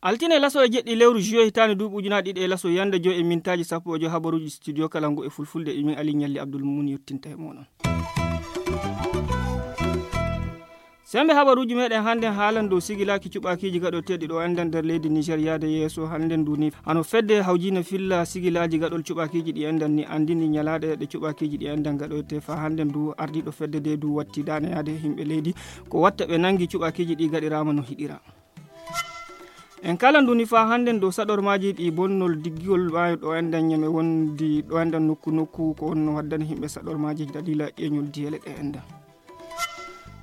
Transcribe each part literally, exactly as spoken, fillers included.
Altine laso e jeɗɗi lewru juillet hitaande duuɓi ujunaaji ɗiɗi e laso yande joy e mintaaji sappo e joy, habaruuji studio kala ngu e fulfulde, e min Ali Ñalli Abdul Mumin yottinta e mooɗon. Sembe habaruuji meɗen hannden haalan dow sigilaaki cuɓaakiiji gaɗoteeɗi ɗo enɗan nder leydi Niger yaade yeeso hannden ndu ni. Hano fedde hawjiina filla sigilaaji gaɗol cuɓaakiiji ɗi enɗan ni anndini ñalaaɗe ɗe cuɓaakiiji ɗi enɗan gaɗoyte faa hannden ndu ardiiɗo fedde de ndu watti daane yaade e yimɓe leydi. Ko watta ɓe nanngi cuɓaakiiji ɗi gaɗiraama no hiɗira. En kala ndu ni faa hannden dow saɗormaaji ɗi bonnol diggol maayo ɗo enɗan ñame wondi ɗo enɗan nokku nokku ko honno waddani yimɓe saɗormaaji daliila ƴeeñol diyele ɗe enɗan.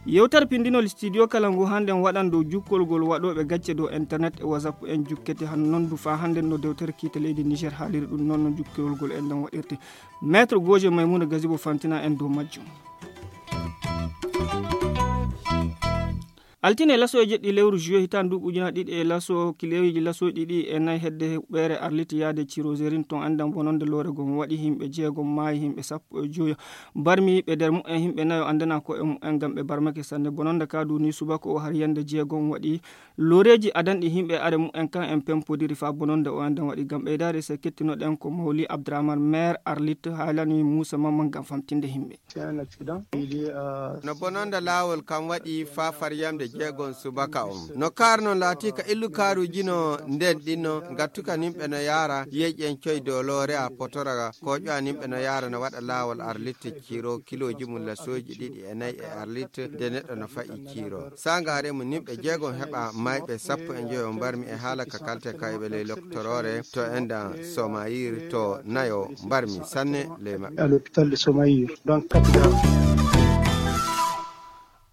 Yewtere pindinol studio kala ngu hannden waɗan dow jukkolgol waɗooɓe gacce dow internet e WhatsApp en jukkete han non ndu faa hannden no dewtere kiite leydi Niger haaliri ɗum non no jukkolgol enɗan waɗirte. Maître Goje Maimouna Gazibo fantina en dow majjum. Altine laso e jeɗɗi lewru juillet hitaande duuɓi ujunaaji ɗiɗi e laso kileeji laso ɗiɗi e nayi hedde huɓeere Arlit yaade Cirozerin ton enɗan bononde loore gon waɗi yimɓe jeegom maayi yimɓe sappo e joyo barmi ɓe nder mumen yimɓe nayo anndana ko e mumen ngam ɓe barmake sanne bononde ka duni subaka o har yande jeegom waɗi looreeji adanɗi yimɓe are mumen kan en pempodiri faa bononde o enɗan waɗi ngam ɓeydaade se kettinoɗen ko Mawli Abdrahman maire Arlit haalani Moussa Mamman ngam famtinde yimɓe. No bononda laawol kam waɗi faa far yamde jeegom subaka on. No kaar non laatii ka illu kaaruuji no nden ɗinno ngattuka nimɓe no yaara yeeƴen coy dow loore a potora kooƴo a nimɓe no yaara no waɗa laawol Arlit Ciro kilooji mum lasooji ɗiɗi e nayi e Arlit de neɗɗo no fa'i Ciro. Sangaare mum nimɓe jeegom heɓa mayɓe sappo e joyo mbarmi e haala ka kalte kayɓe ley loktoroore to enɗan Somayir to nayo mbarmi sanne ley maɓɓe. À l'hôpital de Somayir, donc quatre grammes.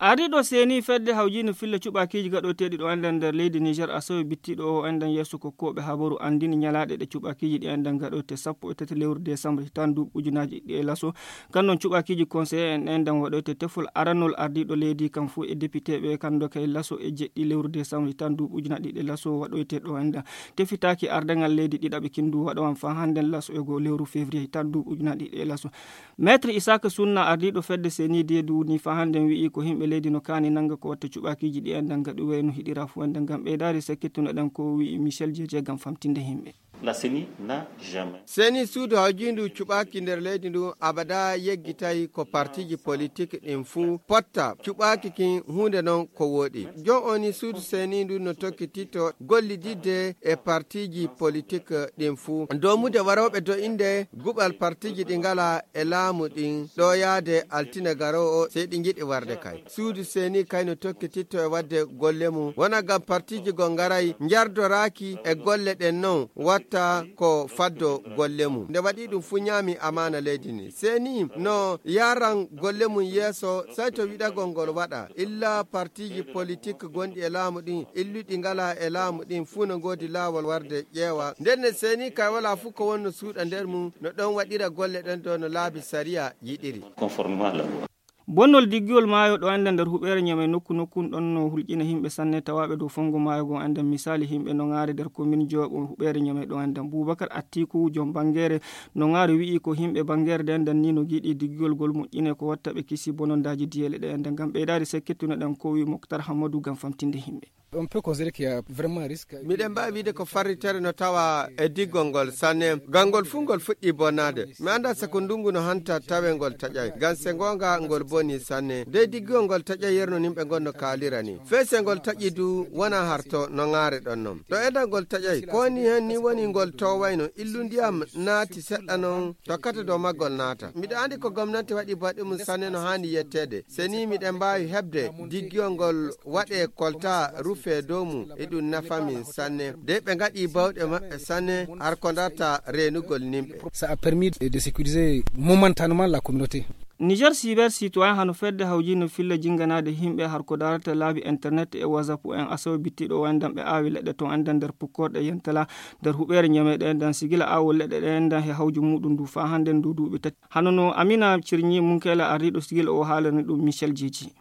Ardiiɗo seeni fedde hawjiino filla cuɓaakiiji gaɗoteeɗi ɗo enɗan nder leydi Niger a sowi bittiiɗo o enɗan yeeso ko kooɓe habaru anndini ñalaaɗe ɗe cuɓaakiiji ɗi enɗan gaɗote sappo e tati lewru décembre hitaande duuɓi ujunaaji ɗiɗi e laso. Kan non cuɓaakiiji conseiller en enɗan waɗoyte tefol aranol ardiiɗo leydi kan fuu e depiteeɓe kan doka e laso e jeɗɗi lewru décembre hitaande duuɓi ujunaaji ɗiɗi e laso waɗoyte ɗo enɗan. Tefitaaki ardaŋal leydi ɗiɗaɓe kindu waɗowan faa hannden laso e goo lewru février hitaande duuɓi ujunaaji ɗiɗi e laso. Maître Isaka Sunna ardiiɗo fedde seeni deedu ni faa hannden wi'i ko yimɓe leydi no kaani nannga ko watta cuɓaakiiji ɗi enɗan gaɗi wayno hiɗira fuu enɗan ngam ɓeydaade se kettunoɗen ko wi'i Michel Jeje ngam famtinde yimɓe. La ceni n'a jamais. Seeni suudu hawjiindu cuɓaaki nder leydi ndu abada yeggitay ko partiiji politik ɗin fuu potta cuɓaaki kin huunde non ko wooɗi. Jon o ni suudu seeni ndu no tokkititto gollididde e partiiji politik ɗin fuu. Doomude warooɓe do'inde guɓal partiiji ɗi ngala e laamu ɗin ɗo yaade altine garoowo sey ɗi ngiɗi warde kay. Suudu seeni kay no tokkititto e waɗde golle mum wona ngam partiiji goo ngaray njardoraaki e golle ɗen non watta ko faddo golle mum. Nde waɗi ɗum fuu ñaami amaana leydi ndi. Seeni no yaran golle mum yeeso sey to wiɗagol ngol waɗa. Illa partiiji politik gonɗi e laamu ɗin illuɗi ngala e laamu ɗin fuu no ngoodi laawol warde ƴeewa. Nden ne seeni kay wala fuu ko wonno suuɗa nder mum no ɗon waɗira golle ɗen dow no laabi sariya yiɗiri. Conformément à la loi. Bonnol diggiwol maayo ɗo enda nder huɓeere Ñamey nokku nokkun ɗon no hulƴina yimɓe sanne tawaaɓe dow fonngo maayo ngon. Enda misaali yimɓe no ŋaare nder komin jooɓo huɓeere Ñamey ɗo enda. Buubakar Attiku, jom banngeere no ŋaare wi'i ko yimɓe banngeere nde enda ni no giɗi diggiwol ngol moƴƴine ko watta ɓe kisi bonondaaji diyeele ɗe enda. Ngam ɓeydaade sekkittuno ɗen ko wi'i Moktar Hammadu ngam famtinde yimɓe. On peut considérer qu'il y a vraiment un risque. Miɗen mbaawi wiide ko farritere no tawa e diggol ngol sanne. Ngam ngol fuu ngol fuɗɗii bonnaade. Mi anndaa so ko ndunngu no hanta tawee ngol taƴay. Ngam se ngoonga ngol bonii sanne. Dey diggol ngol taƴay yerno nimɓe ngon no kaalira ni. Fey se ngol taƴi du wonaa harto no ŋaare ɗon non. Ɗo enda ngol taƴay. Ko woni heen ni woni ngol toowayno. Illu ndiyam naati seɗɗa non tokkata dow maggol naata. Miɗo anndi ko gomnanti waɗi baɗi mum sanne no haani yetteede. Se ni miɗen mbaawi heɓde diggiyol ngol waɗee kolta rufee dow mum, e ɗum nafa min sanne. Dey ɓe ngaɗii baawɗe maɓɓe sanne har ko darta reenugol nimɓe. Ça a permis de, de sécuriser momentanément la communauté. Niger Cyber Citoyen hano fedde hawjino filla jinganaade himɓe har ko darata laabi internet e whatsapp en asawe bittiɗo o endan ɓe aawi leɗɗe ton endan nder pukkorɗe yentala nder huɓeere ñameɗe endan sigila awo leɗɗe ɗe endan he hawju muɗum ndu faa hannde ndu duuɓi tati. Hano no Amina Cirñi Munkela arriɗo sigila o haalani ɗum Michel Jeji.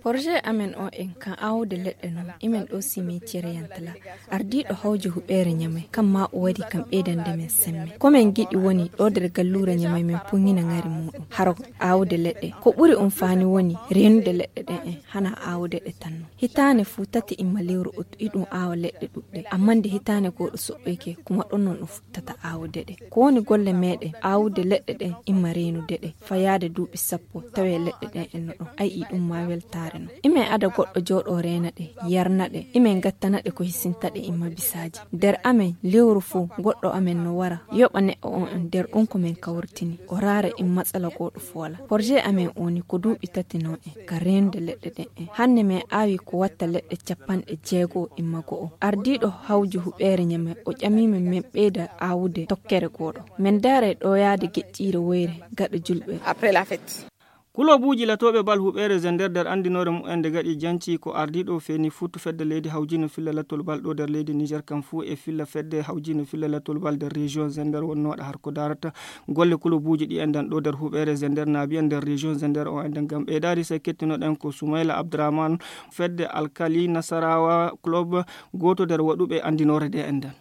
Projet amen o en kan awude leɗɗe non imen ɗo simitiere yantala ardiiɗo hawju huɓeere ñamay kam ma o wari kam ɓeydande men semme ko men giɗi woni ɗo nder galluure ñamay men puñina ŋari muɗum haro awude leɗɗe ko ɓuri um faani woni reenude leɗɗe ɗen en hana awude ɗe tan non hitaane fuu tati imma lewru ut iɗum awa leɗɗe ɗuɗɗe amma nde hitaane gooɗo soɓɓoyke kuma ɗon non ɗum futtata awude ɗe ko woni golle meɗen awude leɗɗe ɗen imma reenude ɗe fayaade duuɓi sappo tawe leɗɗe ɗen en no ɗon ayi ɗum ma weltaare non imen ada goɗɗo jooɗo reena ɗe yarna ɗe imen gattana ɗe ko hisinta ɗe imma bisaaji nder amen lewru fof goɗɗo amen no wara yoɓa neɗɗo on en nder ɗum ko men kawrtini o raara in matsala goɗɗo foola projet amen oni ko duuɓi tati non en ka reenude leɗɗe ɗen en hannde men aawi ko watta leɗɗe capanɗe jeego imma go'o ardiiɗo hawju huɓeere ñame o ƴamiimen men ɓeyda aawude tokkere gooɗo men daara e ɗoyaade geƴƴiire woyre gaɗa julɓe. Kulobuuji latooɓe bal huɓeere zender nder anndinoore mumen nde gaɗi janci ko ardiiɗo feeni fuutu fedde leydi hawjino filla latol bal ɗo nder leydi niger kam fuu e filla fedde hawjino filla latol bal nder région zender wonnooɗo har ko darata golle kulobuuji ɗi enɗan ɗo nder huɓeere zender naabi en nder région zender o enɗan ngam ɓeydaari sey kettinoɗen ko soumaila abdourahmane fedde alkali nasarawa club gooto nder waɗuɓe anndinoore nde enɗan.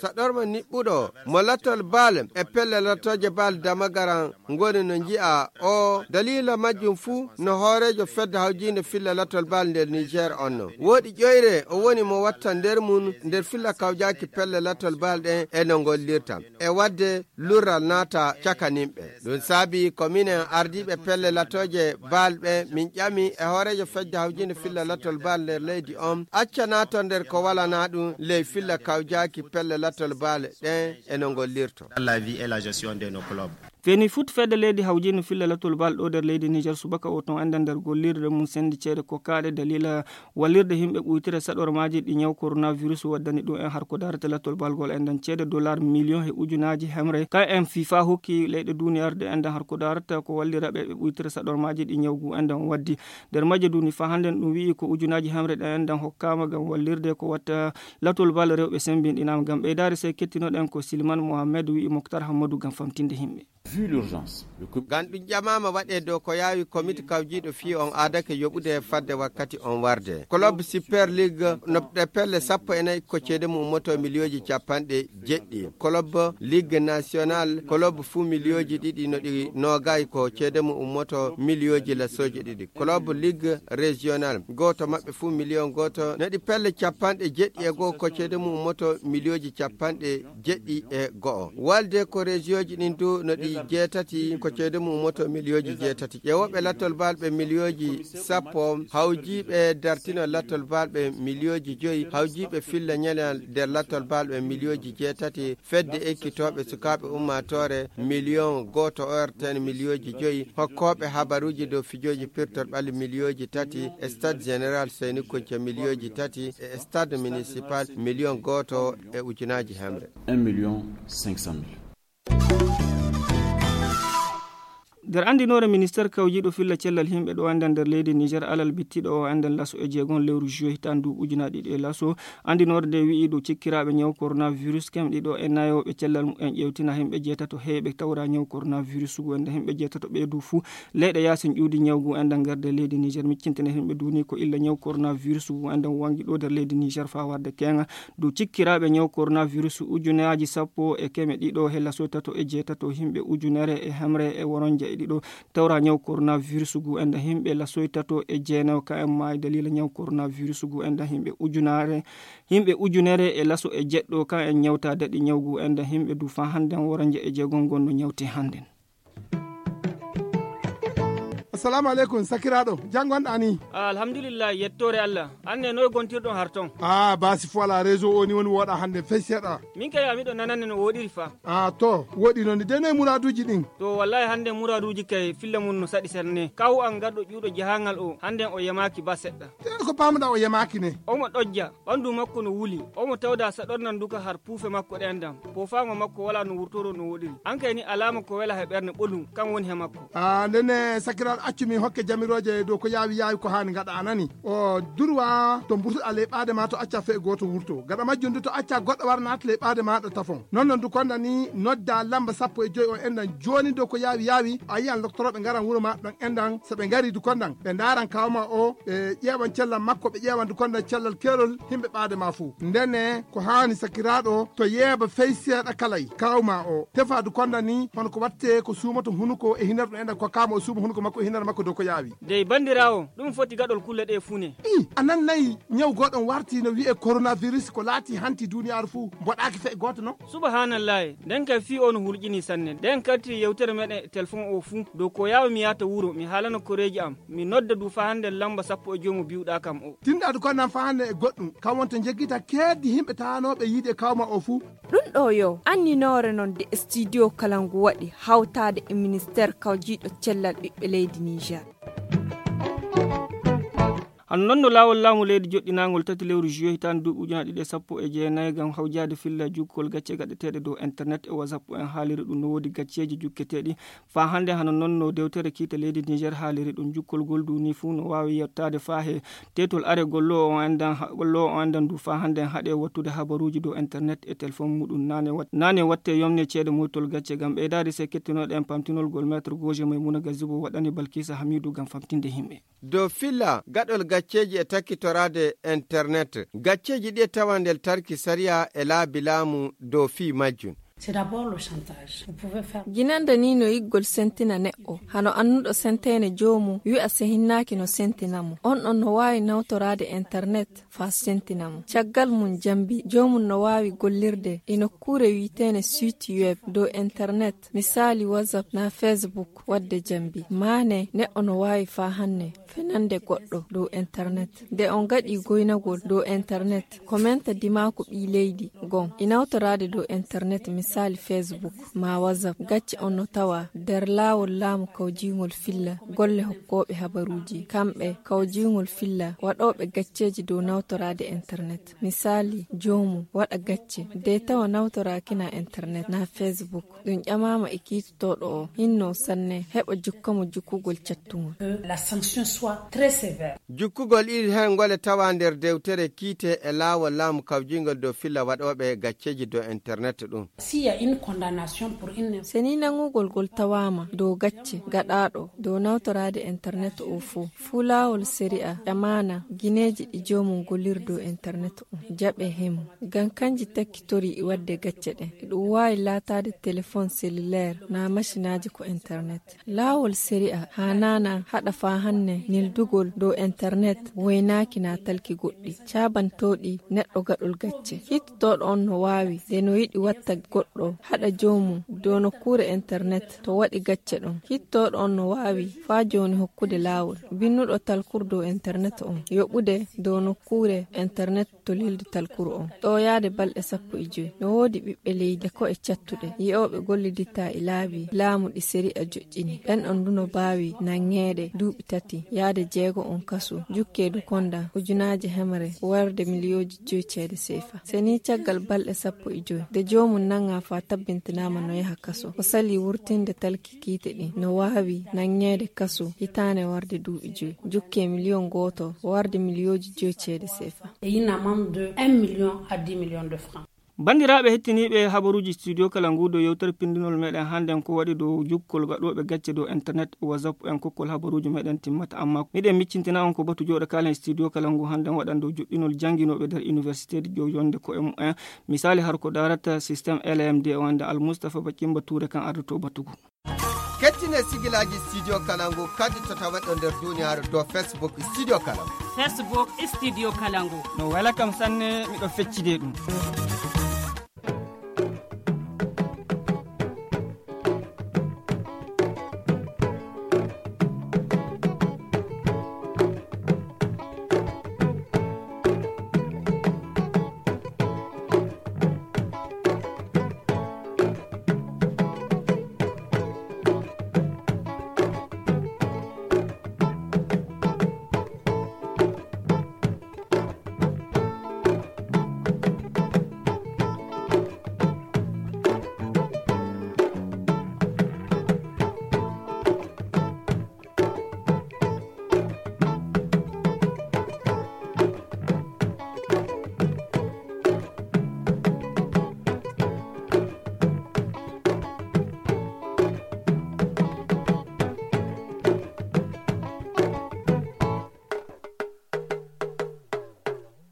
Saɗorma niɓɓuɗo mo lattol bal e pelle lattooje bal damagaran ngoni no nji'a o daliila majjum fuu no hooreejo fedde hawjiinde filla lattol bal nder niger on no woodi ƴoyre o woni mo watta nder mum nder filla kawjaaki pelle lattol bal ɗen e no ngollirta e waɗde lurral naata cakaninɓe. Ɗum saabi ko minen ardiiɓe pelle latooje bal ɓe min ƴami e hooreejo fedde hawjinde filla latol bal nder leydi on acca naato nder ko walana ɗum ley filla kawjaaki pelle latol bal ɗen e no ngollirto. Dans la vie et la gestion de nos clubs. Feni foot fedde leydi hawjino filla latol bal ɗo nder leydi niger subaka o ton enda nder gollirde mum sendi ceede ko kaɗe dalila wallirde himɓe ɓuytira saɗormaji ɗi ñaw coronavirus waddani ɗum en har ko darata lattol balgol en ɗan ceede dollar million e ujunaji hemre ka en fifa hokki leyɗe duniyarde en ɗan har ko darata ko wallira ɓe ɓe ɓuytira saɗormaji ɗi ñawgu en ɗan waddi nder majje duni fa hannden ɗum wi'i ko ujunaji hemre ɗen en ɗan hokkama ngam wallirde ko watta lattol bal rewɓe sembinɗinama ngam ɓeydare sey kettinoɗen ko silman mohammed wi'i moktar hammadu ngam famtinde himɓe. Vu l'urgence, le com- Ngam ɗum ƴamaama waɗee dow ko yaawi komiti kawjiiɗo fii on aadake yoɓude fadde wakkati on warde. Kolob Super League no ɗe pelle sappo e nayi ko ceede mum ummoto miliyooji capanɗe jeɗɗi. Kolob Ligue National kolob fuu miliyooji ɗiɗi no ɗi noogay ko ceede mum ummoto miliyooji lasooji ɗiɗi. Kolob Ligue Régional gooto maɓɓe fuu miliyon gooto no ɗi pelle capanɗe jeɗɗi e goo ko ceede mum ummoto miliyooji capanɗe jeɗɗi e go'o. Walde ko rejiyoji ɗin du no ɗi jeetati ko ceede mum ummoto miliyooji jeetati. Ƴeewooɓe lattol balɓe miliyooji sappo hawjiiɓe dartino lattol balɓe miliyooji joyi hawjiiɓe filla ñalal nder lattol balɓe miliyooji jeetati fedde ekkitooɓe sukaaɓe ummaatoore miliyon gooto orten miliyooji joyi hokkooɓe habaruuji dow fijooji pirtol ɓalli miliyooji tati e stade général seyni kunca miliyooji tati e stade municipal miliyon gooto e ujunaaji hemre. Un million cinq cent mille. Nder anndinoore ministeer kawjiiɗo filla cellal yimɓe ɗo anndan nder leydi niger alal bittiɗo o anndan laso e jeegon lewru juillet hitaan duuɓi ujunaaji ɗiɗi e laso anndinoore nde wi'i ɗo cikkiraaɓe ñaw coronavirus kemɗi ɗo e nayooɓe cellal mumen ƴeewtina yimɓe jeetato heeɓe tawra ñaw coronavirus ngu enda yimɓe jeetato ɓe du fuu leyɗe yaasin ƴuwdi ñaw ngu enda ngerde leydi niger miccintine yimɓe duni ko illa ñaw coronavirus ngu enda wangi ɗo nder leydi niger faa warde keeŋa dow cikkiraaɓe ñaw coronavirus ujunaaji sappo e keme ɗiɗo he lasoy tato e jeetato yimɓe ujunere e hemre e woronja e ɗiɗo tawra ñaw coronavirus ngu enda yimɓe lasoy tato e jeenayo ka en maayi dalila ñaw coronavirus ngu enda yimɓe ujunare yimɓe ujunere e laso e jeɗɗo ka en ñawta daɗi ñaw ngu enda yimɓe du faa hannden woronja e jeegom ngon no ñawte hannden. Salamu aleykum, sakiraaɗo. Jam ngonɗaa ni? Ah, alhamdulillah, yettoore Allah. An ne, noy gontirɗon har ton? Ah, baasi fo alaa, réseau o ni woni wooɗaa hannde fey seeɗa. Min kay, a miɗo nanande no wooɗiri fa. Ah, to, wooɗi noon ni. De noy muraaduuji ɗin? To, wallahi hannde muraaduuji kay filla mum no saɗi sanne. Kawu an garɗo ƴuuɗo jahangal o, hannde o yamaaki ba seɗɗa. Te ko paamuɗaa o yamaaki ne? Omo ɗojja, ɓandu makko no wuli. Omo tawda saɗornan duka har puufe makko ɗen dam. Poofaango makko walaa no wurtoro no wooɗiri. An kay ni alaama ko wela he ɓernde ɓolum, kan woni he makko. Ah, ndenne sakiraaɗo, accu min hokke jamirooje dow ko yaawi yaawi ko haani ngaɗa, a nani? O durwa to mburtuɗaa ley ɓaade ma, to acca fee gooto wurto. Gaɗa majjum du, to acca goɗɗo wara naata ley ɓaade maaɗa tafon. Non non du konda ni, nodda lamba sappo e joy o endan jooni dow ko yaawi yaawi. A yiyan loktorooɓe ngaran wuro ma ɗon endan. So ɓe ngari du kondan, ɓe ndaaran kawma o, ɓe ƴeewan cellal makko, ɓe ƴeewan du kondan cellal keerol himɓe ɓaade ma fuu. Ndenne ko haani sakiraaɗo to yeeba fey seeɗa kalay. Kawma o tefa du kondan ni, hono ko watte ko suumoto hunuko e hinar ɗum endan, ko kama o suuma hunuko makko e hinar makko dow ko yaawi. Dey bandiraawo, ɗum foti gaɗol kulle ɗe fuu ne. I, a nan nayi ñaw goɗon warti no wi'e coronavirus ko laati hanti duniyaaru fuu, mboɗaaki fey gooto non? Subahanallahi, nden kay fii o no hulƴini sanne. Nden kalti yewtere meɗen e telefon o fuu, dow ko yaawi mi yaata wuro, mi haalana koreeji am, mi nodda du faa hannde lamba sappo e joy mo biwɗaa kam o. Tinɗaadu ko nan faa hannde e goɗɗum, kam wonta njeggita keeddi himɓe taanooɓe yiide kawma o fuu. Ɗum ɗo yo anninoore non de studio kala ngu waɗi hawtaade e ministeer kawjiiɗo cellal ɓiɓɓe leydi Niger. Hano non no laawol laamu leydi joɗɗinaangol tati lewru juillet hitaande duuɓi ujunaaji ɗiɗi e sappo e jeenayi ngam hawjaade filla jukkol gacce gaɗeteeɗe dow internet e WhatsApp en haaliri ɗum no woodi gacceeji jukketeeɗi faa hannde. Hano non no dewtere kiite leydi Niger haaliri ɗum, jukkol ngol du ni fuu no waawi yettaade faa he teetol are golloowo on endan, golloowo on endan du faa hannde en haɗe wattude habaruuji dow internet e telefon muɗum. Nane wat-, nane watte yomne ceede moytol gacce ngam ɓeydaade se kettinooɗe en pamtinol gol maître Goje Maymuna Gazibo waɗani Balkisa Hamidu ngam famtinde yimɓe. Dow filla gaɗol gacceeji e takkitoraade internet, gacceeji ɗi e tawa nder tarki sariya e laabi laamu dow fii majjum. C'est d'abord le chantage. Vous pouvez faire Ginande ni no yiggol sentina neɗɗo. Hano annuɗo senteene joomum, wi'a se hinnaaki no sentina mo. On ɗon no waawi nawtoraade internet faa sentina mo. Caggal mum jambi, joomum no waawi gollirde e nokkuure wi'eteene site web dow internet, misaali WhatsApp naa Facebook, waɗde jambi. Maane, neɗɗo no waawi faa hannde fenande goɗɗo dow internet. Nde on gaɗi goynagol dow internet, ko menta dimaaku ɓii leydi gon e nawtoraade dow internet, misaali Facebook maa WhatsApp. Gacce on no tawa nder laawol laamu kawjiingol filla golle hokkooɓe habaruuji. Kamɓe kawjiingol filla waɗooɓe gacceeji dow nawtoraade internet. Misaali, joomum waɗa gacce de tawa nawtoraaki na internet na Facebook. Ɗum ƴamaama e kiitotooɗo o, hinno sanne heɓa jukka mo jukkugol cattungol. Que la sanction soit très sévère. Jukkugol iri hen ngole tawa nder dewtere kiite e laawol laamu kawjingol dow filla waɗooɓe gacceeji dow internet ɗum. S'il y a une condamnation pour une Se ni nangugol gol tawaama dow gacce gaɗaaɗo dow nawtoraade internet o fuu, fuu laawol sariya ƴamaana gineeji ɗi joomum golliri dow internet o jaɓe hemu. Ngam kanji takkitorii waɗde gacce ɗen. Ɗum waawi laataade telefon selulaar naa masinaaji ko internet. Laawol sariya haanaana haɗa faa hannde neldugol dow internet waynaaki naa talki goɗɗi caabantooɗi neɗɗo gaɗol gacce. Hittotooɗo on no waawi, nde no yiɗi watta goɗɗo haɗa joomum dow nokkuure internet to waɗi gacce ɗon. Hittotooɗo on no waawi faa jooni hokkude laawol binnuɗo talkuru dow internet on yoɓude dow nokkuure internet to lildi talkuru on. Ɗo yaade balɗe sappo e joy, no woodi ɓiɓɓe leydi e ko'e cattuɗe, yi'ooɓe golliditta e laabi laamu ɗi sariya joƴƴini. Ɓen on du no baawi nanŋeede duuɓi tati yaade jeego on kasu, jukkeedu konda ujunaaje hemre warde miliyooji joy ceede seefa. Se ni caggal balɗe sappo e joy, nde joomum nanŋa faa tabbintinaama no yaha kasu, o salii wurtinde talki kiite ɗin, no waawi nanŋeede kasu hitaande warde duuɓi joy, jukkee miliyon gooto warde miliyooji joy ceede seefa. Et une amende de un million à dix millions de francs. Banndiraaɓe hettiniiɓe habaruuji studio kala ngu, dow yewtere pinndinol meɗen hannden ko waɗi dow jukkol gaɗooɓe gacce dow internet, WhatsApp en kokkol habaruuji meɗen timmata, amma miɗen miccintina on ko batu jooɗo kaalen studio kala ngu hannden waɗan dow juɗɗinol jannginooɓe nder université ji ƴoyonde ko'e mumen. Misaali har ko daarata système L M D o wonde Al Mustafa Bakimba Touré kan ardoto batugu. Kettine sigilaaji studio kala ngu kadi to taweɗo nder duniyaaru dow Facebook studio kala ngu. Facebook studio kala ngu. No wela kam sanne, miɗo feccide ɗum.